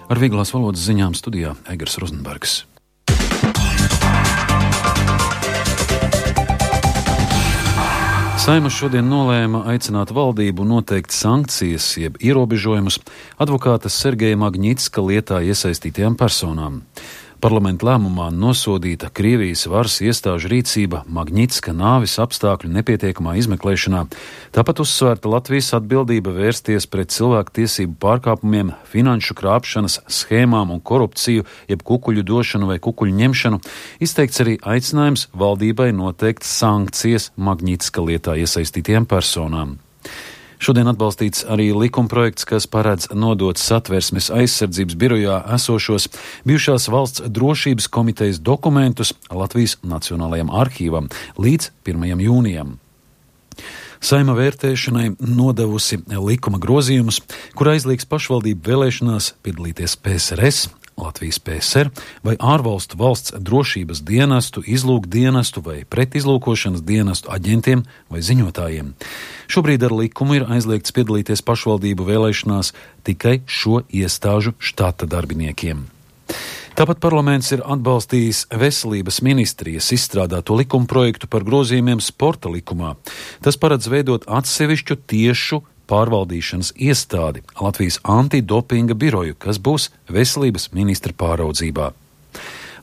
Ar vieglās valodas ziņām studijā Egers Rozenbergs. Saeima šodien nolēma aicināt valdību noteikt sankcijas, jeb ierobežojumus advokāta Sergeja Magnitska lietā iesaistītajām personām. Parlamenta lēmumā nosodīta Krievijas varas iestāžu rīcība Magnitska nāvis apstākļu nepietiekamā izmeklēšanā, tāpat uzsvērta Latvijas atbildība vērsties pret cilvēku tiesību pārkāpumiem, finanšu krāpšanas schēmām un korupciju, jeb kukuļu došanu vai kukuļu ņemšanu, izteikts arī aicinājums valdībai noteikt sankcijas Magnitska lietā iesaistītiem personām. Šodien atbalstīts arī likumprojekts, kas paredz nodot Satversmes aizsardzības birojā esošos bijušās valsts drošības komitejas dokumentus Latvijas Nacionālajam arhīvam līdz 1. jūnijam. Saeima vērtēšanai nodevusi likuma grozījumus, kur aizliegs pašvaldību vēlēšanās piedalīties PSRS, Latvijas PSR vai ārvalstu valsts drošības dienestu, izlūkdienestu vai pretizlūkošanas dienestu aģentiem vai ziņotājiem. Šobrīd ar likumu ir aizliegts piedalīties pašvaldību vēlēšanās tikai šo iestāžu štata darbiniekiem. Tāpat parlaments ir atbalstījis veselības ministrijas izstrādāto likumprojektu par grozījumiem sporta likumā. Tas paredz veidot atsevišķu tiešu pārvaldīšanas iestādi Latvijas antidopinga biroju, kas būs veselības ministra pāraudzībā.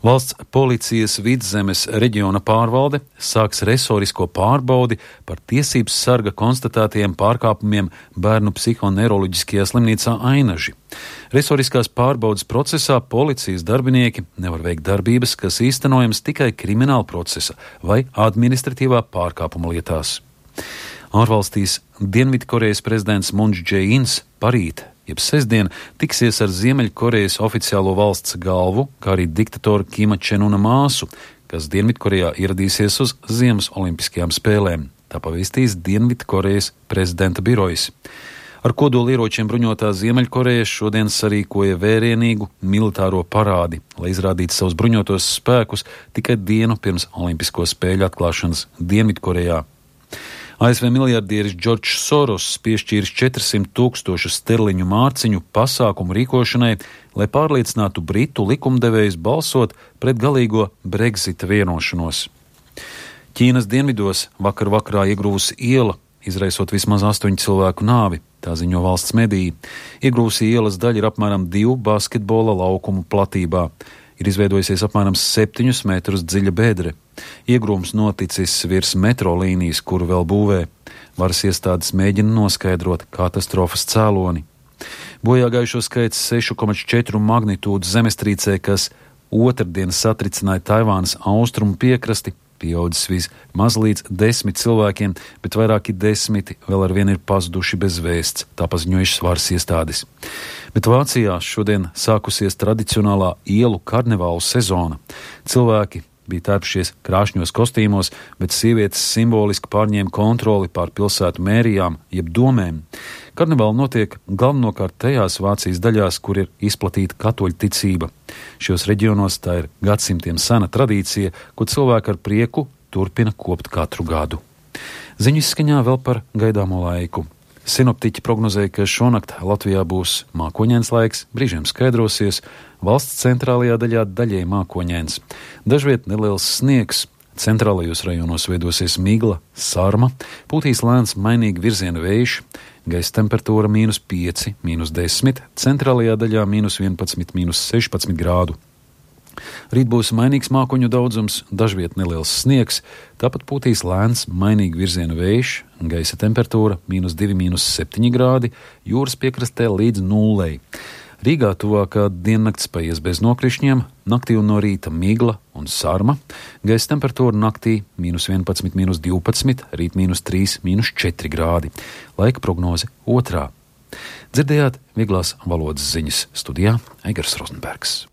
Valsts policijas Vidzemes reģiona pārvalde sāks resorisko pārbaudi par tiesības sarga konstatētajiem pārkāpumiem bērnu psihoneiroloģiskajā slimnīcā Ainaži. Resoriskās pārbaudes procesā policijas darbinieki nevar veikt darbības, kas īstenojams tikai krimināla procesa vai administratīvā pārkāpuma lietās. Ārvalstīs Dienvidkorejas prezidents Mūns Džē-ins parīt, jeb sestdien, tiksies ar Ziemeļkorejas oficiālo valsts galvu, kā arī diktatora Kima Čenuna māsu, kas Dienvidkorejā ieradīsies uz Ziemas olimpiskajām spēlēm. Tā pavēstīs Dienvidkorejas prezidenta birojas. Ar kodolieročiem bruņotā Ziemeļkoreja šodien sarīkoja vērienīgu militāro parādi, lai izrādītu savus bruņotos spēkus tikai dienu pirms olimpisko spēļu atklāšanas Dienvidkorejā. ASV miljardieris Džordžs Soros piešķīris 400,000 sterliņu mārciņu pasākumu rīkošanai, lai pārliecinātu britu likumdevējus balsot pret galīgo Brexita vienošanos. Ķīnas dienvidos vakar vakarā iegrūvusi iela, izraisot vismaz 8 cilvēku nāvi, tā ziņo valsts mediji. Iegrūvusī ielas daļa ir apmēram 2 basketbola laukumu platībā. Ir izveidojusies apmēram 7 metrus dziļa bedre. Iegrūms noticis virs metro līnijas, kuru vēl būvē. Varas iestādes mēģina noskaidrot katastrofas cēloni. Bojāgājušo skaits 6,4 magnitūdu zemestrīcē, kas otrdien satricināja Taivānas austrumu piekrasti, pieaudzis vismaz līdz 10 cilvēkiem, bet vairāki 10 vēl ar vienu ir pazuduši bez vēsts, tā paziņojušas varas iestādes. Bet Vācijā šodien sākusies tradicionālā ielu karnevālu sezona. Cilvēki bija tērpušies krāšņos kostīmos, bet sievietes simboliski pārņēma kontroli pār pilsētu mērijām, jeb domēm. Karnevāli notiek galvenokārt tajās Vācijas daļās, kur ir izplatīta katoļu ticība. Šos reģionos tā ir gadsimtiem sena tradīcija, ko cilvēki ar prieku turpina kopt katru gadu. Ziņu izskaņā vēl par gaidāmo laiku. Sinoptiķi prognozēja, ka šonakt Latvijā būs mākoņains laiks, brīžiem skaidrosies, valsts centrālajā daļā daļēji mākoņains. Dažviet neliels sniegs, centrālajos rajonos veidosies migla, sarma, pūtīs lēns mainīgi virziena vējš, gaisa temperatūra -5, -10, centrālajā daļā -11, -16 grādu. Rīt būs mainīgs mākoņu daudzums, dažviet neliels sniegs, tāpat pūtīs lēns mainīgi virziena vējš, gaisa temperatūra -2, -7 grādi, jūras piekrastē līdz 0. Rīgā tuvākā diennakts paies bez nokrišņiem, naktī un no rīta migla un sarma, gaisa temperatūra naktī -11, -12, rīt -3, -4 grādi. Laika prognoze 2. Dzirdējāt vieglās valodas ziņas, studijā Egers Rozenbergs.